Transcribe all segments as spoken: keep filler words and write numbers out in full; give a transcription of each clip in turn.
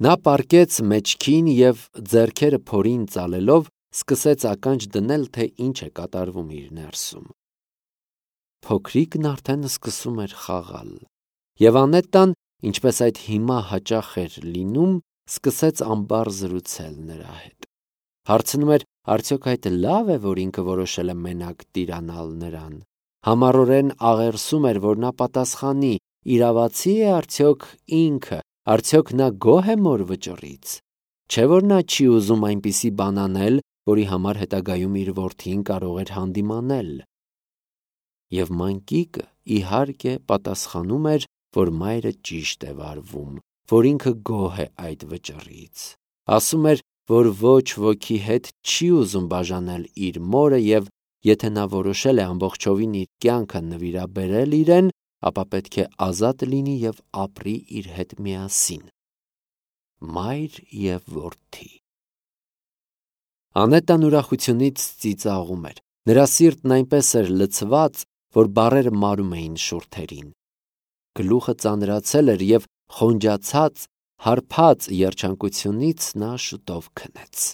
Նա պառկեց մեջքին և ձեռքերը փորին ծալելով սկսեց ականջ դնել, թե ինչ է կատարվում իր ներսում։ Փոքրիկն արդեն սկսում էր խաղալ, և Անետան, ինչպես այդ հիմա հաճախ էր լինում, սկսեց ամբառ զրուցել նրա հետ։ Հարցնում էր, արդյոք այդ լավ է, որ ինքը որոշել է մենակ տիրանալ նրան։ Համառորեն աղերսում էր, որ նա պատասխանի, իրավացի է արդյոք ինքը, արդյոք նա գոհ է մոր վճռից։ Չէ՞ որ նա չի ուզում այնպիսի բան անել, որի համար հետագայում իր որդին կարող էր հանդիմանել։ Եվ մանկիկը, իհարկե, պատասխանում էր, որ մայրը ճիշտ է վարվում, որ ինքը գոհ է այդ վճռից։ Ասում էր, որ ոչ ոքի հետ չի ուզում բաժանել իր մորը և եթե նա որոշել է ամբողջովին իր կյանքը նվիրաբերել իրեն, ապա պետք է ազատ լինի և ապրի իր հետ միասին։ Մայր և որդի։ Անետան ուրախությունից ծիծաղում էր։ Նրա սիրտն այնպես էր լցված, որ բառերը մարում էին շուրթերին։ Գլուխը ծանրացել էր և խոնջացած, հարբած երջանկությունից նա շուտով քնեց։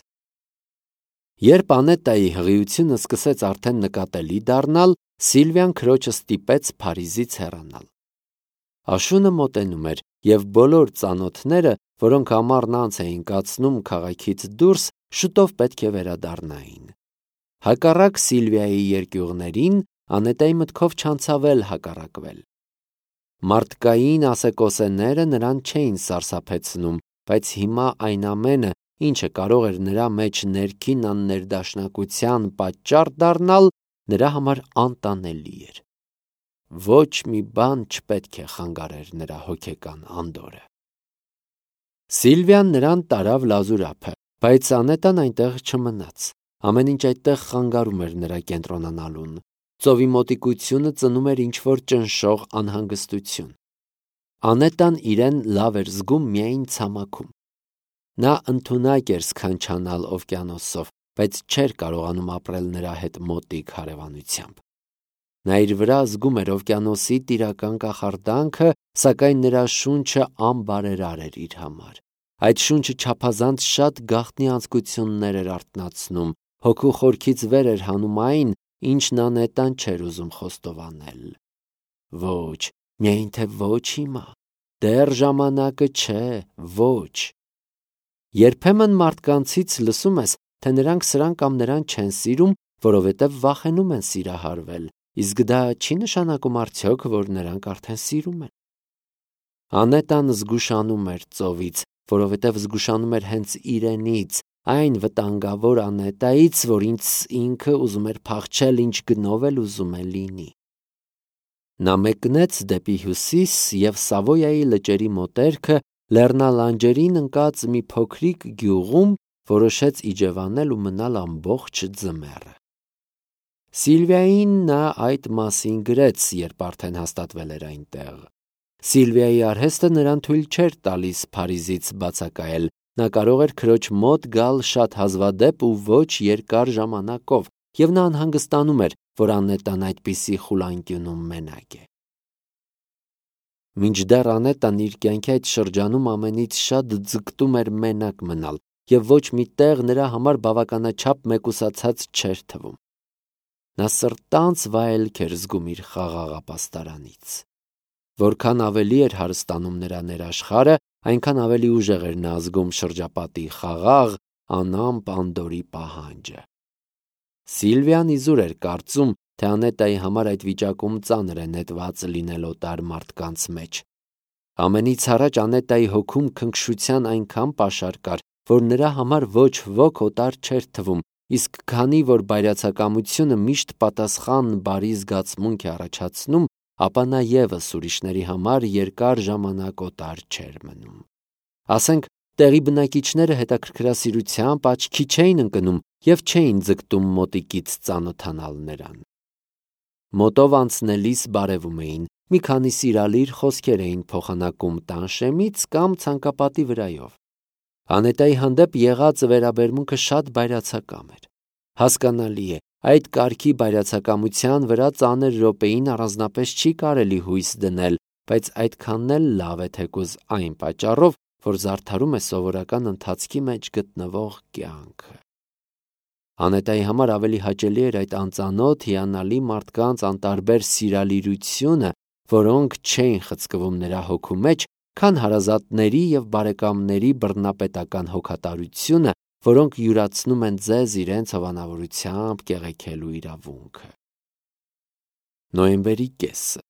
Երբ Անետայի հղիությունը սկսեց արդեն նկատելի դառնալ, Սիլվիան քրոջը ստիպեց Փարիզից հեռանալ։ Աշունը մոտենում էր, և բոլոր ծանոթները, որոնք ամառն անց էին կացնում քաղաքից դուրս, շուտով պետք է վերադառնային։ Հակառակ Սիլվիայի երկյուղներին, Անետայի մտքով չանցավ էլ հակառակվել։ Մարդկային ասեկոսեները նրան չէին սարսափեցնում, բայց հիմա այն ամենը, ինչը կարող էր նրա մեջ ներքին աններդաշնակության պատճառ դառնալ, նրա համար անտանելի էր։ Ոչ մի բան չպետք է խանգարեր նրա հոգեկան անդորրը։ Սիլվիան նրան տարավ լազուր ափը, բայց Անետան այնտեղ չմնաց։ Ամեն ինչ այդտեղ խանգարում էր նրա կենտրոնանալուն։ Ծովի մոտիկությունը ծնում էր ինչ-որ ճնշող անհանգստություն։ Անետան իրեն լավ էր զգում միայն ցամաքում։ Նա ընդունակ էր սքանչանալ օվկիանոսով, բայց չէր կարողանում ապրել նրա հետ մոտիկ հարևանությամբ։ Նա իր վրա զգում էր օվկիանոսի տիրական կախարդանքը, սակայն նրա շունչը անբարերար էր իր համար։ Այդ շունչը չափազանց շատ գաղտնի անձկություններ էր արթնացնում, հոգու խորքից վեր էր հանում այն, ինչն Անետան չէր ուզում խոստովանել։ Ոչ, միայն թե ոչ հիմա, դեռ ժամանակը չէ, ոչ։ Երբեմն մարդկանցից լսում ես, թե նրանք սրան կամ նրան չեն սիրում, որովհետև վախենում են սիրահարվել, իսկ դա չի նշանակում արդյոք, որ նրանք արդեն սիրում են։ Անետան զգուշանում էր ծովից, որովհետև զգուշանում էր հենց իրենից, այն վտանգավոր Անետայից, որից ինքը ուզում էր փախչել, ինչ գնով էլ ուզում է լինի։ Նա մեկնեց դեպի հյուսիս և Սավոյայի լճերի մոտերքը լեռնալանջերին ընկած մի փոքրիկ գյուղում որոշեց իջևանել ու մնալ ամբողջ ձմեռը։ Սիլվիային նա այդ մասին գրեց, երբ արդեն հաստատվել էր այնտեղ։ Սիլվիայի արհեստը նրան թույլ չէր տալիս Փարիզից բացակայել, նա կարող էր քրոջ մոտ գալ շատ հազվադեպ ու ոչ երկար ժամանակով, և նա անհանգստանում էր, որ Անետան այդպիսի խուլանկյունում մենակ է։ Մինչդեռ Անետան իր կյանքի այդ շրջանում ամենից շատ ձգտում էր մենակ մնալ, և ոչ մի տեղ նրա համար բավականաչափ մեկուսացած չէր թվում։ Նա սրտանց վայելք էր զգում իր խաղաղ ապաստարանից։ Որքան ավելի էր հարստանում նրա ներաշխարհը, այնքան ավելի ուժեղ էր նա զգում շրջապատի խաղաղ, անամպ անդորրի պահանջը։ Սիլվիան իզուր էր կարծում, թե Անետայի համար այդ վիճակում ծանր է նետված լինել օտար մարդկանց մեջ։ Ամենից առաջ Անետայի հոգում քնքշության այնքան պաշար կար, որ նրա համար ոչ ոք օտար չէր թվում, իսկ քանի որ բայրացակամությունը միշտ պատասխան բարի զգացմունք է առաջացնում, ապա նա ևս ուրիշների համար երկար ժամանակ օտար չէր մնում։ Ասենք, տեղի բնակիչները հետաքրքրասիրությամբ աչքի չէին ընկնում և չէին ձգտում մոտիկից ծանոթանալ նրան։ Մոտով անցնելիս բարևում էին, մի քանի սիրալիր խոսքեր էին փոխանակում տանշեմից կամ ցանկապատի վրայով։ Անետայի հանդեպ եղած վերաբերմունքը շատ բայրացակամ էր։ Հասկանալի է, այդ կարգի բայրացակամության վրա ծանր րոպեին առանձնապես չի կարելի հույս դնել, բայց այդքանն էլ լավ է թեկուզ այն պատճառով, որ զարդարում է սովորական ընթացքի մեջ գտնվող կյանքը։ Անետայի համար ավելի հաճելի էր այդ անծանոթ հիանալի մարդկանց անտարբեր սիրալիրությունը, որոնք չէին խցկվում նրա հոգու մեջ, քան հարազատների և բարեկամների բռնապետական հոգատարությունը, որոնք յուրացնում են ձեզ իրենց հովանավորությամբ կեղեքելու իրավունքը։ Նոյեմբերի կեսը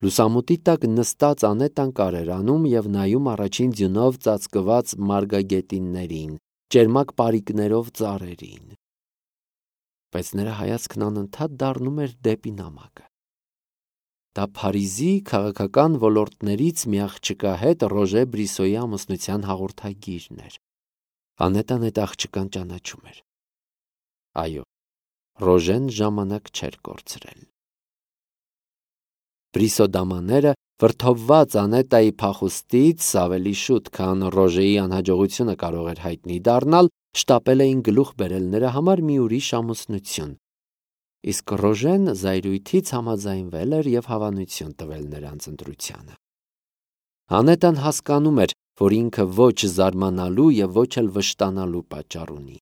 Լուսամուտի տակ նստած Անետան կարեր անում և նայում առաջին ձյունով ծածկված մարգագետիններին, ճերմակ պարիկներով ծառերին։ Բայց նրա հայացքն անընդհատ դառնում էր դեպի նամակը։ Դա Փարիզի քաղաքական ոլորտներից մի աղջկա հետ Ռոժե Բրիսոյի ամուսնության հաղորդագիրն էր։ Անետան այդ աղջկան ճանաչում էր։ Այո, Ռոժեն ժամանակ չէր կորցրել։ Բրիսո դամաները, վրդովված Անետայի փախուստից ավելի շուտ, քան Ռոժեի անհաջողությունը կարող էր հայտնի դառնալ, շտապել էին գլուխ բերել նրա համար մի ուրիշ ամուսնություն։ Իսկ Ռոժեն զայրույթից համաձայնվել էր և հավանություն տվել նրանց ընտրությանը։ Անետան հասկանում էր, որ ինքը ոչ զարմանալու և ոչ էլ վշտանալու պատճառ ունի։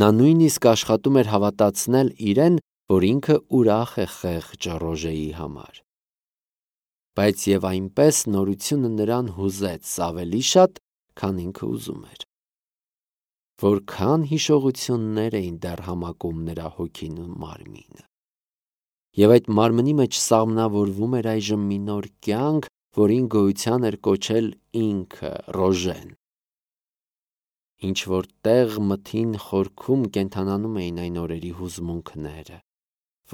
Նա նույնիսկ աշխատում էր հավատացնել իրեն, որ ինքը ուրախ է խեղճ Ռոժեի համար։ Բայց և այնպես նորությունը նրան հուզեց ավելի շատ, քան ինքը ուզում էր։ Որքան հիշողություններ էին դեռ համակում նրա հոգին ու մարմինը։ Եվ այդ մարմնի մեջ սաղմնավորվում էր այժմ մի նոր կյանք, որին գոյության էր կոչել ինքը Ռոժեն։ Ինչ-որ տեղ մթին խորքում կենդանանում էին այն օրերի հուզմունքները։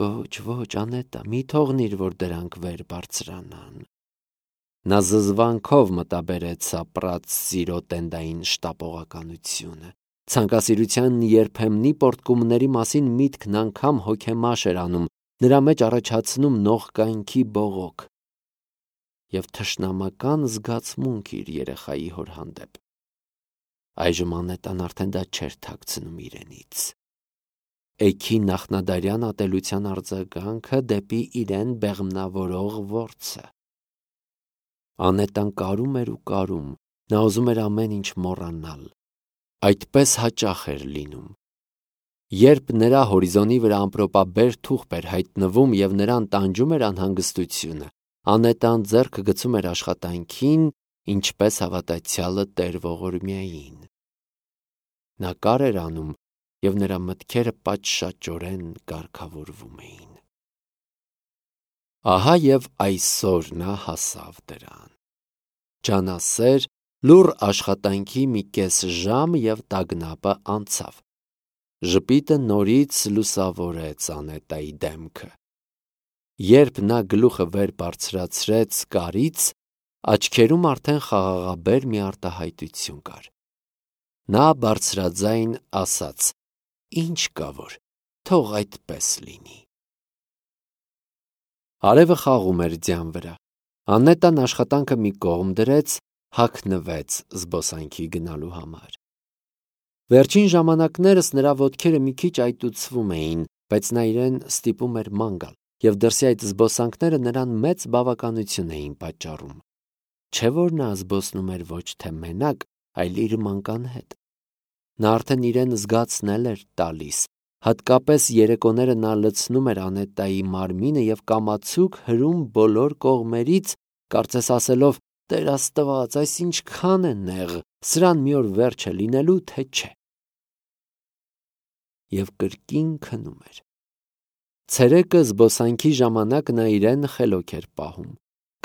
Ոչ, ոչ, Անետա, մի թողնիր, որ դրանք վեր բարձրանան։ Նա զզվանքով մտաբերեց ապրած սիրո տենդային շտապողականությունը։ Ցանկասիրության երբեմնի պոռթկումների մասին միտքն անգամ հոգեմաշ էր անում, նրա մեջ առաջացնում նողկանքի բողոք և թշնամական զգացմունք իր երեխայի հոր հանդեպ։ Այժմ Անետան արդեն դա չէր թաքցնում իրենից։ Էգի նախնադարյան ատելության արձագանքը դեպի իրեն բեղմնավորող որցը։ Անետան կարում էր ու կարում, նա ուզում էր ամեն ինչ մոռանալ։ Այդպես հաճախ էր լինում։ Երբ նրա հորիզոնի վրա ամպրոպաբեր թուղթ էր հայտնվում և նրան տանջում էր անհանգստությունը, Անետան ձեռքը գցում էր աշխատանքին, ինչպես հավատացյալը Տեր ողորմյային։ Նա կար էր անում, և նրա մտքերը պատշաճորեն կարգավորվում էին։ Ահա և այսօր նա հասավ դրան։ Ջանասեր, լուռ աշխատանքի մի կես ժամ և տագնապը անցավ։ Ժպիտը նորից լուսավորեց Անետայի դեմքը։ Երբ նա գլուխը վեր բարձրացրեց կարից, աչքերում արդեն խաղաղաբեր մի արտահայտություն կար։ Նա բարձրաձայն ասաց. «Ինչ կա որ, թող այդպես լինի»։ Արևը խաղում էր ձյան վրա։ Անետան աշխատանքը մի կողմ դրեց, հագնվեց զբոսանքի գնալու համար։ Վերջին ժամանակներս նրա ոտքերը մի քիչ այտուցվում էին, բայց նա իրեն ստիպում էր ման գալ, և դրսի այդ զբոսանքները նրան մեծ բավականություն էին պատճառում։ Չէ՞ որ նա զբոսնում էր ոչ թե մենակ, այլ իր մանկան հետ։ Նա արդեն իրեն զգացնել էր տալիս, հատկապես երեկոները նա լցնում էր Անետայի մարմինը և կամացուկ հրում բոլոր կողմերից, կարծես ասելով. «Տեր Աստված, այս ինչքան է նեղ, սրան մի օր վերջ է լինելու, թե չէ»։ Եվ կրկին քնում էր։ Ցերեկը զբոսանքի ժամանակ նա իրեն խելոք էր պահում։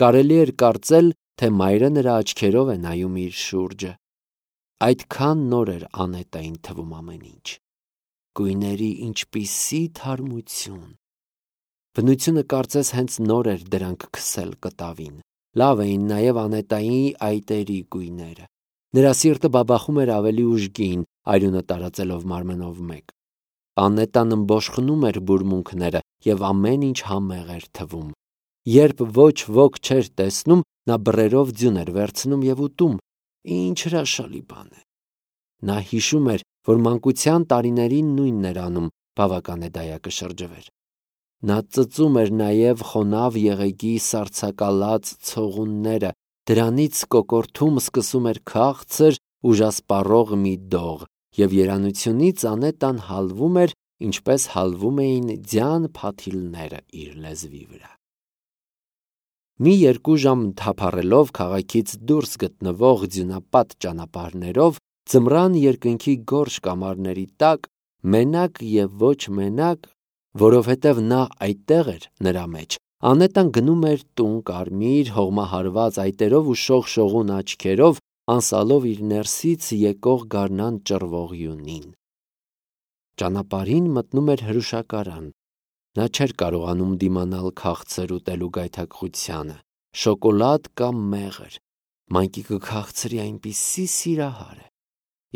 Կարելի էր կարծել, թե մայրը նրա աչքերով է նայում իր շուրջը։ Այդքան նոր էր Անետային թվում ամեն ինչ։ Գույների ինչպիսի թարմություն։ Բնությունը կարծես հենց նոր էր դրանք քսել կտավին։ Լավ էին նաև Անետայի այտերի գույները։ Նրա սիրտը բաբախում էր ավելի ուժգին, արյունը տարածելով մարմնով մեկ։ Անետան ըմբոշխնում էր բուրմունքները, և ամեն ինչ համեղ էր թվում։ Երբ ոչ ոք չէր տեսնում, նա բռերով ձյուն էր վերցնում և ուտում։ Ինչ հրաշալի բան է։ Նա հիշում էր, որ մանկության տարիներին նույնն էր անում, բավական է դայակը շրջվեր։ Նա ծծում էր նաև խոնավ եղեգի սառցակալած ցողունները, Դրանից կոկորթում սկսում էր քաղցր, ուժասպառող մի դող, և երանությունից Անետան հալվում էր, ինչպես հալվում էին ձյան փաթիլները իր լեզվի վրա։ Մի երկու ժամ թափառելով քաղաքից դուրս գտնվող ձյունապատ ճանապարհներով, ձմռան երկնքի գորշ կամարների տակ, մենակ և ոչ մենակ, որովհետև նա այդտեղ էր նրա մեջ, Անետան գնում էր տուն կարմիր, հողմահարված այտերով ու շողշողուն աչքերով, անսալով իր ներսից եկող գարնան ճռվողյունին։ Ճանապարհին մտնում էր հրուշակարան։ Նա չէր կարողանում դիմանալ քաղցր ուտելու գայթակղությանը, շոկոլադ կամ մեղր, մանկիկը քաղցրի այնպիսի սիրահար է։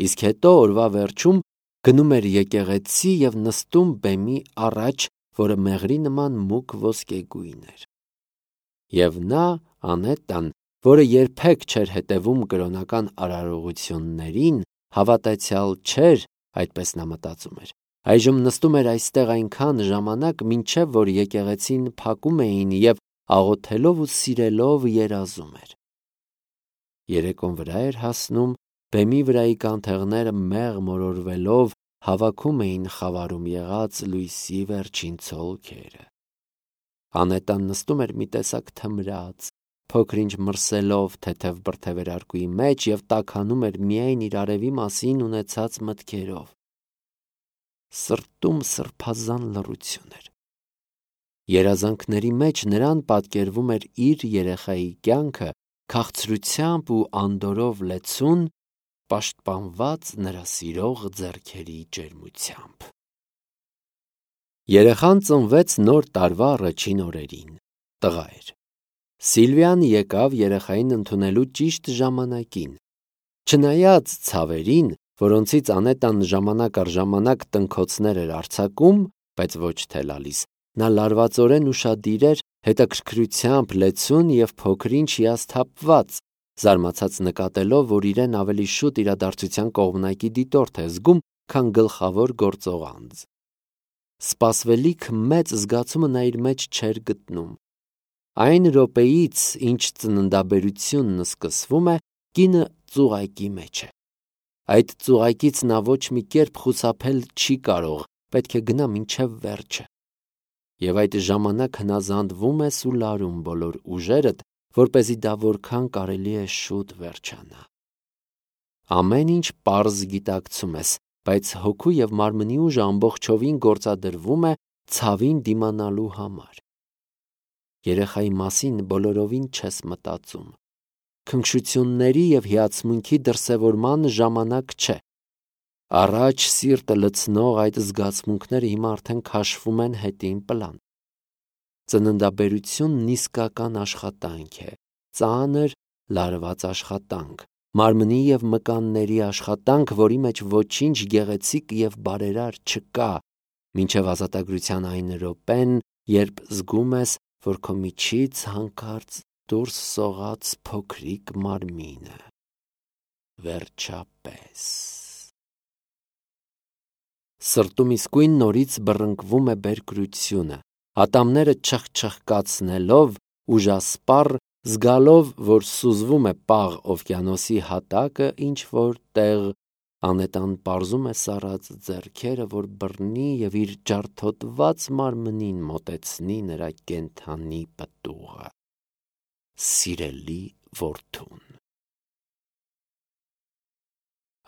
Իսկ հետո օրվա վերջում գնում էր եկեղեցի և նստում բեմի առաջ, որը մեղրի նման մուգ ոսկեգույն էր։ Եվ նա, Անետան, որը երբեք չէր հետևում կրոնական արարողություններին, հավատացյալ չէր, այդպես նա մտածում էր, այժմ նստում էր այստեղ այնքան ժամանակ, մինչև որ եկեղեցին փակում էին և աղոթելով ու սիրելով երազում էր։ Երեկոն վրա էր հասնում, բեմի վրայի կանթեղները մեղ մորորվելով հավաքում էին խավարում եղած լույսի վերջին ցոլքերը։ Անետան նստում էր մի տեսակ թմրած, փոքր-ինչ մրսելով թեթև բրդեվերարկուի մեջ և տաքանում էր միայն իր արևի մասին ունեցած մտքերով։ Սրտում սրբազան լռություն էր։ Երազանքների մեջ նրան պատկերվում էր իր երեխայի կյանքը քաղցրությամբ ու անդորրով լեցուն, պաշտպանված նրա սիրող ձեռքերի ջերմությամբ։ Երեխան ծնվեց նոր տարվա առաջին օրերին, տղա էր։ Սիլվիան եկավ երեխային ընդունելու ճիշտ ժամանակին։ Չնայած ցավերին, որոնցից Անետան ժամանակ առ ժամանակ տնքոցներ էր արձակում, բայց ոչ թե լալիս, նա լարվածորեն ուշադիր էր, հետաքրքրությամբ լեցուն և փոքր-ինչ հիասթափված, զարմացած նկատելով, որ իրեն ավելի շուտ իրադարձության կողմնակի դիտորդ է զգում, քան գլխավոր գործող անձ։ Սպասվելիք մեծ զգացումը նա իր մեջ չէր գտնում։ Այն րոպեից, ինչ ծննդաբերությունն սկսվում է, կինը ծուղակի մեջ է։ Այդ ծուղակից նա ոչ մի կերպ խուսափել չի կարող, պետք է գնա մինչև վերջը։ Եվ այդ ժամանակ հնազանդվում ես ու լարում բոլոր ուժերդ, որպեսզի դա որքան կարելի է շուտ վերջանա։ Ամեն ինչ պարզ գիտակցում ես, բայց հոգու և մարմնի ուժը ամբողջովին գործադրվում է ցավին դիմանալու համար։ Երեխայի մասին բոլորովին չես մտածում։ Քնքշությունների և հիացմունքի դրսևորման ժամանակ չէ։ Առաջ սիրտը լցնող այդ զգացմունքները հիմա արդեն քաշվում են հետին պլան։ Ծննդաբերությունն իսկական աշխատանք է, ծանր, լարված աշխատանք, մարմնի և մկանների աշխատանք, որի մեջ ոչինչ գեղեցիկ և բարերար չկա, մինչև ազատագրության այն րոպեն, երբ զգում ես, որ քո միջից հանկարծ դուրս սողաց փոքրիկ մարմինը։ Վերջապես։ Սրտում իսկույն նորից բռնկվում է բերկրությունը, ատամները չխչխկացնելով, ուժասպառ, զգալով, որ սուզվում է պաղ օվկիանոսի հատակը ինչ-որ տեղ, Անետան պարզում է սառած ձեռքերը, որ բռնի և իր ջարդոտված մարմնին մոտեցնի նրա կենդանի պտուղը։ Սիրելի որդուն։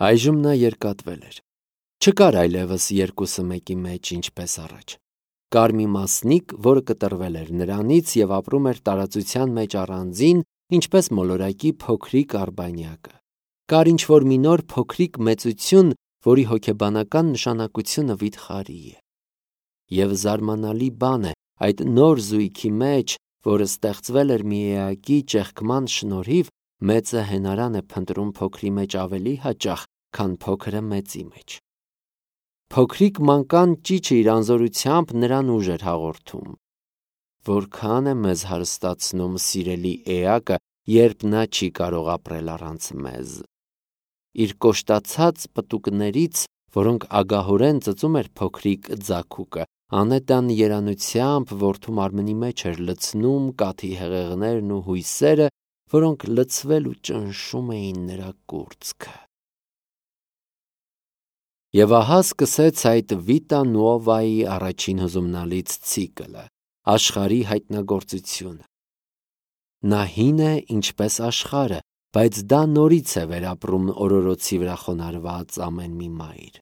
Այժմ նա երկատվել էր։ Չկար այլևս երկուսը մեկի մեջ, ինչպես առաջ։ Կար մի մասնիկ, որը կտրվել էր նրանից և ապրում էր տարածության մեջ առանձին, ինչպես մոլորակի փոքրիկ արբանյակը։ Կար ինչ-որ մի նոր փոքրիկ մեծություն, որի հոգեբանական նշանակությունը վիթխարի է։ Եվ զարմանալի բան է, այդ նոր զույգի մեջ, որը ստեղծվել էր մի էակի ճեղքման շնորհիվ, մեծը հենարան է փնտրում փոքրի մեջ ավելի հաճախ, քան փոքրը մեծի մեջ։ Փոքրիկ մանկան ճիչը իր անզորությամբ նրան ուժ էր հաղորդում։ Որքան է մեզ հարստացնում սիրելի էակը, երբ նա չի կարող ապրել առանց մեզ։ Իր կոշտացած պտուկներից, որոնք ագահորեն ծծում էր փոքրիկ ձագուկը, Անետան երանությամբ որդու մարմնի մեջ էր լցնում կաթի հեղեղներն ու հույսերը, որոնք լցվել ու ճնշում էին նրա կուրծքը։ Եվ ահա սկսեց այդ Վիտա Նուովայի առաջին հուզումնալից ցիկլը, աշխարհի հայտնագործությունը։ Նա հին է ինչպես աշխարհը, բայց դա նորից է վերապրում օրորոցի վրա խոնարհված ամեն մի մայր։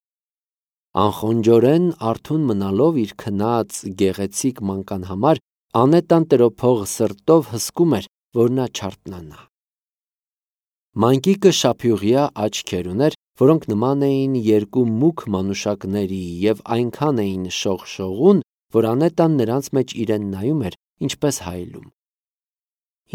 Անխոնջորեն արթուն մնալով իր քնած գեղեցիկ մանկան համար, Անետան տրոփող սրտով հսկում էր, որ նա չարթնանա։ Մանկիկը շափյուղյա աչքեր ուներ, որոնք նման էին երկու մուգ մանուշակների և այնքան էին շողշողուն, որ Անետան նրանց մեջ իրեն նայում էր, ինչպես հայելում։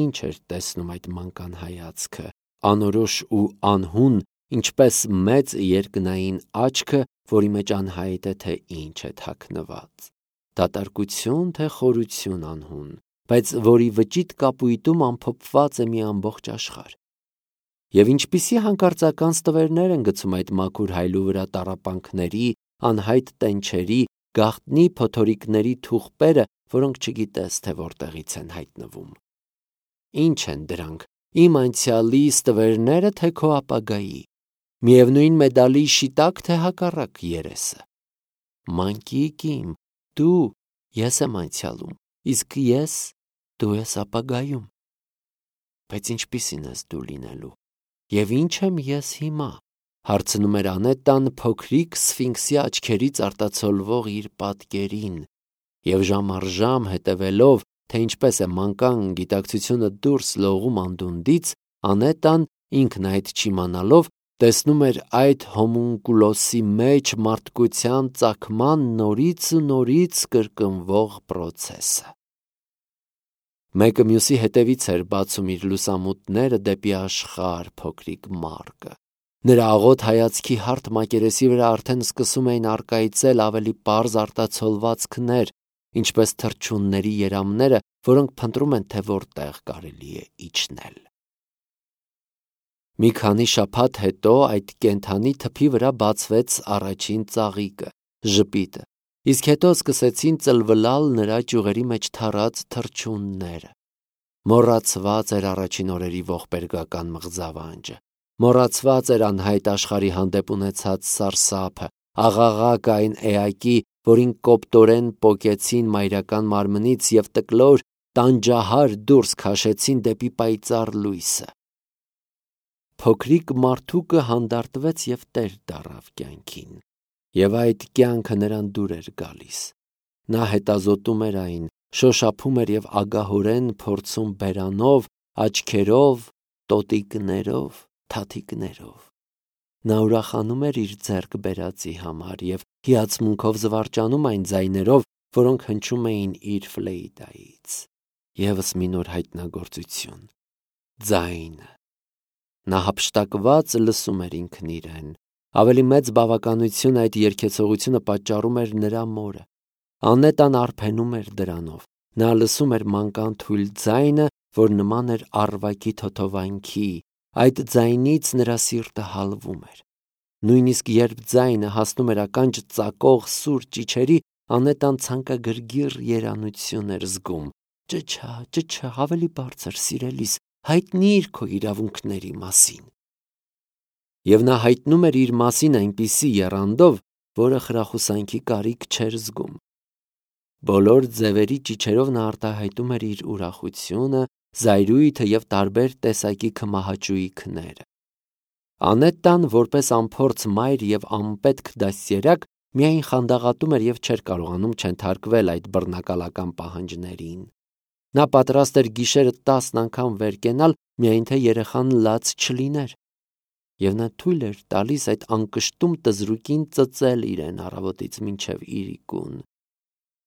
Ինչ էր տեսնում այդ մանկան հայացքը, անորոշ ու անհուն, ինչպես մեծ երկնային աչքը, որի մեջ անհայտ է, թե ինչ է թաքնված, դատարկություն, թե խորություն անհուն, բայց որի վճիտ կապույտում ամփոփված է մի ամբողջ աշխարհ։ Եվ ինչպիսի հանկարծական ստվերներ են գցում այդ մաքուր հայլու վրա տառապանքների, անհայտ տենչերի, գաղտնի փոթորիկների թուղպերը, որոնք չգիտես, թե որտեղից են հայտնվում։ Ինչ են դրանք, իմ անցյալի ստվերնե՞րը, թե քո ապագայի, միևնույն մեդալի շիտակ, թե հակառակ երեսը։ Մանկիկ իմ, դու, ես եմ անցյալում, իսկ ես, դու ես ապագայում։ Բայց ինչպիսին ես դու լինելու, և ինչ եմ ես հիմա, հարցնում էր Անետան փոքրիկ սֆինքսի աչքերից արտացոլվող իր պատկերին, և ժամ առ ժամ հետևելով, թե ինչպես է մանկան գիտակցությունը դուրս լողում անդունդից, Անետան, ինքն այդ չիմանալով, տեսնում էր այդ հոմունկուլոսի մեջ մարդկության ծագման նորից ու նորից կրկնվող պրոցեսը։ Մեկը մյուսի հետևից էր բացում իր լուսամուտները դեպի աշխարհ փոքրիկ մարկը։ Նրա աղոտ հայացքի հարթ մակերեսի վրա արդեն սկսում էին առկայծել ավելի պարզ արտացոլվածքներ, ինչպես թռչունների երամները, որոնք փնտրում են, թե որտեղ կարելի է իջնել։ Մի քանի շաբաթ հետո այդ կենդանի թփի վրա բացվեց առաջին ծաղիկը, ժպիտը, իսկ հետո սկսեցին ծլվլալ նրա ճյուղերի մեջ թառած թռչունները։ Մոռացված էր առաջին օրերի ողբերգական մղձավանջը, մոռացված էր անհայտ աշխարհի հանդեպ ունեցած սարսափը, աղաղակ այն էակի, որին կոպտորեն պոկեցին մայրական մարմնից և տկլոր, տանջահար դուրս քաշեցին դեպի պայծառ լույսը։ Փոքրիկ մարդուկը հանդարտվեց և տեր դառավ կյանքին, և այդ կյանքը նրան դուր էր գալիս։ Նա հետազոտում էր այն, շոշափում էր և ագահորեն փորձում բերանով, աչքերով, տոտիկներով, թաթիկներով։ Նա ուրախանում էր իր ձեռք բերածի համար և հիացմունքով զվարճանում այն ձայներով, որոնք հնչում էին իր ֆլեյտայից։ Եվս մի նոր հայտնագործություն։ Ձայնը։ Նա հափշտակված լսում էր ինքն իրեն։ Ավելի մեծ բավականություն այդ երգեցողությունը պատճառում էր նրա մորը։ Անետան արփենում էր դրանով։ Նա լսում էր մանկան թույլ ձայնը, որ նման էր առվակի թոթովանքի, այդ ձայնից նրա սիրտը հալվում էր։ Նույնիսկ երբ ձայնը հասնում էր ականջ ծակող սուր ճիչերի, Անետան ցանկագրգիռ երանություն էր զգում։ Ճչա, ճչա, ավելի բարձր, սիրելիս, հայտնիր քո իրավունքների մասին։ Եվ նա հայտնում էր իր մասին այնպիսի եռանդով, որը խրախուսանքի կարիք չէր զգում։ Բոլոր ձևերի ճիչերով նա արտահայտում էր իր ուրախությունը, զայրույթը և տարբեր տեսակի քմահաճույքները։ Անետան, որպես անփորձ մայր և անպետք դաստիարակ, միայն խանդաղատում էր և չէր կարողանում չենթարկվել այդ բռնակալական պահանջներին։ Նա պատրաստ էր գիշերը տասն անգամ վեր կենալ, միայն թե երեխան լաց չլիներ։ Եվ նա թույլ էր տալիս այդ անկշտում տզրուկին ծծել իրեն առավոտից մինչև իրիկուն։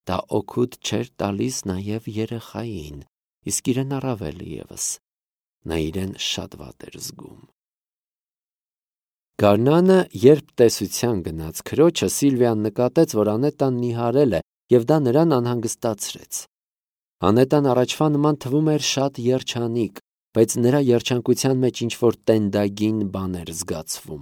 Դա օգուտ չէր տալիս նաև երեխային, իսկ իրեն առավել ևս։ Նա իրեն շատ վատ էր զգում։ Գարնանը, երբ տեսության գնաց քրոջը, Սիլվիան նկատեց, որ Անետան նիհարել է, և դա նրան անհանգստացրեց։ Անետան առաջվա նման թվում էր շատ երջանիկ, բայց նրա երջանկության մեջ ինչ-որ տենդագին բան էր զգացվում։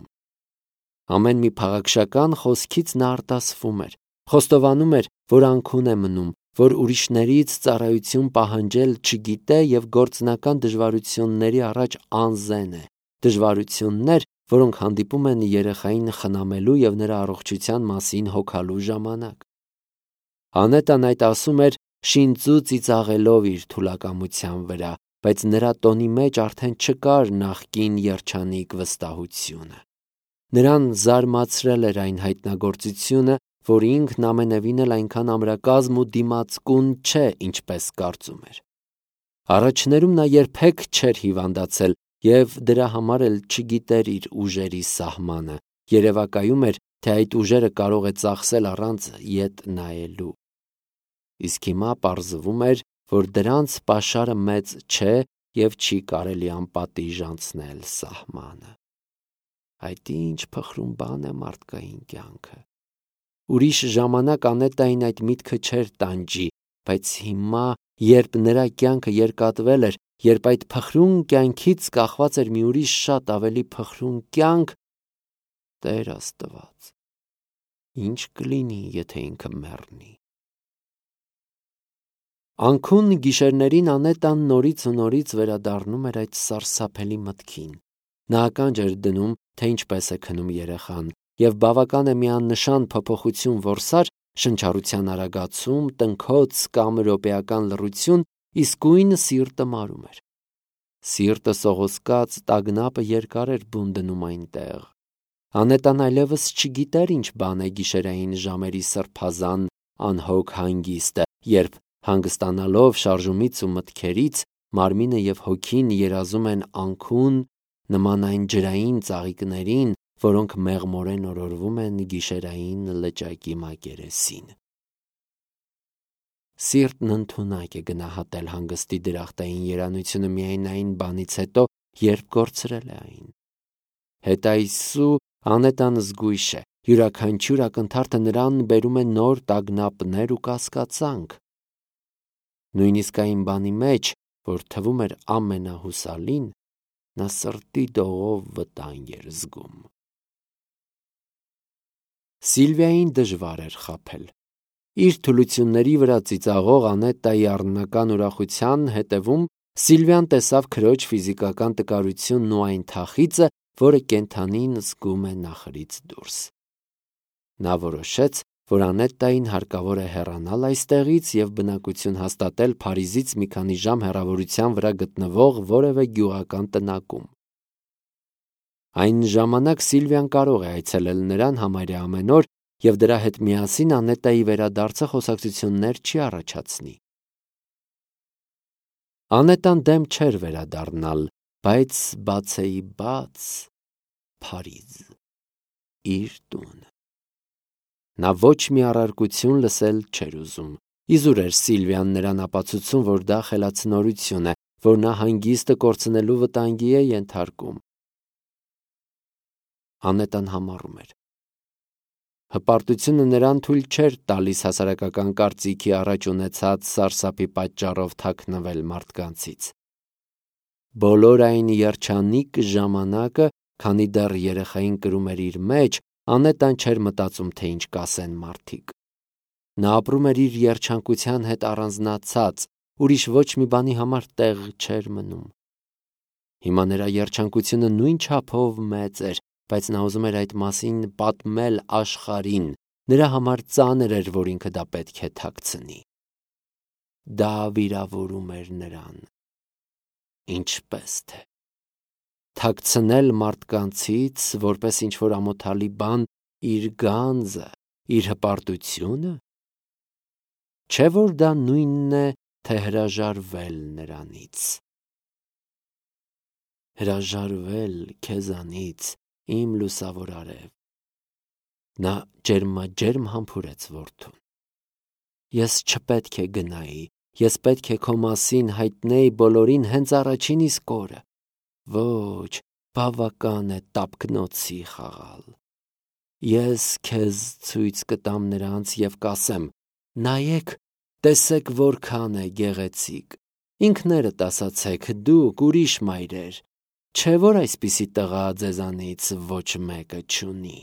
Ամեն մի փաղաքշական խոսքից նա արտասվում էր, խոստովանում էր, որ անքուն է մնում, որ ուրիշներից ծառայություն պահանջել չգիտե և գործնական դժվարությունների առաջ անզեն է, դժվարություններ, որոնք հանդիպում են երեխային խնամելու և նրա առողջության մասին հոգալու ժամանակ։ Անետան այդ ասում էր շինծու ծիծաղելով իր թուլակամության վրա, բայց նրա տոնի մեջ արդեն չկար նախկին երջանիկ վստահությունը։ Նրան զարմացրել էր այն հայտնագործությունը, որ ինքն ամենևին էլ այնքան ամրակազմ ու դիմացկուն չէ, ինչպես կարծում էր։ Առաջներում նա երբեք չէր հիվանդացել և դրա համար էլ չգիտեր իր ուժերի սահմանը, երևակայում էր, թե այդ ուժերը կարող է ծախսել առանց ետ նայելու։ Իսկ հիմա պարզվում էր, որ դրանց պաշարը մեծ չէ և չի կարելի անպատիժ անցնել սահմանը։ Այդ ինչ փխրուն բան է մարդկային կյանքը։ Ուրիշ ժամանակ Անետային այդ միտքը չէր տանջի, բայց հիմա, երբ նրա կյանքը երկատվել էր, երբ այդ փխրուն կյանքից կախված էր մի ուրիշ շատ ավելի փխրուն կյանք, Տեր Աստված, ինչ կլինի, եթե ինքը մեռնի։ Անքուն գիշերներին Անետան նորից ու նորից վերադառնում էր այդ սարսափելի մտքին։ Նա ականջ էր դնում, թե ինչպես է քնում երեխան, և բավական է մի աննշան փոփոխություն որսար, շնչառության արագացում, տնքոց կամ րոպեական լռություն, իսկույն սիրտը մարում էր։ Սիրտը սողոսկած տագնապը երկար էր բուն դնում այնտեղ։ Անետան այլևս չգիտեր ինչ բան է գիշերային ժամերի սրբազան անհոգ հանգիստը, երբ հանգստանալով շարժումից ու մտքերից, մարմինը և հոգին երազում են անքուն, նման այն ջրային ծաղիկներին, որոնք մեղմորեն օրորվում են գիշերային լճակի մակերեսին։ Սիրտն ընդունակ է գնահատել հանգստի դրախտային երանությունը միայն այն բանից հետո, երբ կորցրել է այն։ Հետայսու Անետան զգույշ է, յուրաքանչյուր ակնթարթը նրան բերում է նոր տագնապներ ու կասկածանք։ Նույնիսկ այն բանի մեջ, որ թվում էր ամենահուսալին, նա սրտի դողով վտանգ էր զգում։ Սիլվիային դժվար էր խաբել։ Իր թուլությունների վրա ծիծաղող Անետայի առնական ուրախության հետևում Սիլվիան տեսավ քրոջ ֆիզիկական տկարությունն ու այն թախիծը, որը կենդանին զգում է նախրից դուրս։ Նա որոշեց, որ Անետային հարկավոր է հեռանալ այստեղից և բնակություն հաստատել Փարիզից մի քանի ժամ հեռավորության վրա գտնվող որևէ գյուղական տնակում։ Այն ժամանակ Սիլվիան կարող է այցելել նրան համարյա ամեն օր և դրա հետ միասին Անետայի վերադարձը խոսակցություններ չի առաջացնի։ Անետան դեմ չէր վերադառնալ, բայց բացեի բաց Փարիզ, իր տուն։ Նա ոչ մի առարկություն լսել չէր ուզում։ Իզուր էր Սիլվիան նրան ապացուցում, որ դա խելացնորություն է, որ նա հանգիստը կորցնելու վտանգի է ենթարկում։ Անետան համառում էր։ Հպարտությունը նրան թույլ չէր տալիս հասարակական կարծիքի առաջ ունեցած սարսափի պատճառով թաքնվել մարդկանցից։ Բոլոր այն երջանիկ ժամանակը, քանի դեռ երեխային կրում էր իր մեջ, Անետան չէր մտածում, թե ինչ կասեն մարդիկ։ Նա ապրում էր իր երջանկության հետ առանձնացած, ուրիշ ոչ մի բանի համար տեղ չէր մնում։ Հիմա նրա երջանկությունը նույն չափով մեծ էր, բայց նա ուզում էր այդ մասին պատմել աշխարհին, նրա համար ծանր էր, որ ինքը դա պետք է թաքցնի։ Դա վիրավորում էր նրան։ Ինչպես թե թաքցնել մարդկանցից, որպես ինչ-որ ամոթալի բան, իր գանձը, իր հպարտությունը։ Չէ՞ որ դա նույնն է, թե հրաժարվել նրանից։ Հրաժարվել քեզանից, իմ լուսավոր արև։ Նա ջերմաջերմ համբուրեց որդուն։ Ես չպետք է գնայի, ես պետք է քո մասին հայտնեի բոլորին հենց առաջին իսկ օրը։ Ոչ, բավական է տափկնոցի խաղալ։ Ես քեզ ցույց կտամ նրանց և կասեմ. նայեք, տեսեք որքան է գեղեցիկ։ Ինքներդ ասացեք, դուք ուրիշ մայրեր, չէ՞ որ այսպիսի տղա ձեզանից ոչ մեկը չունի։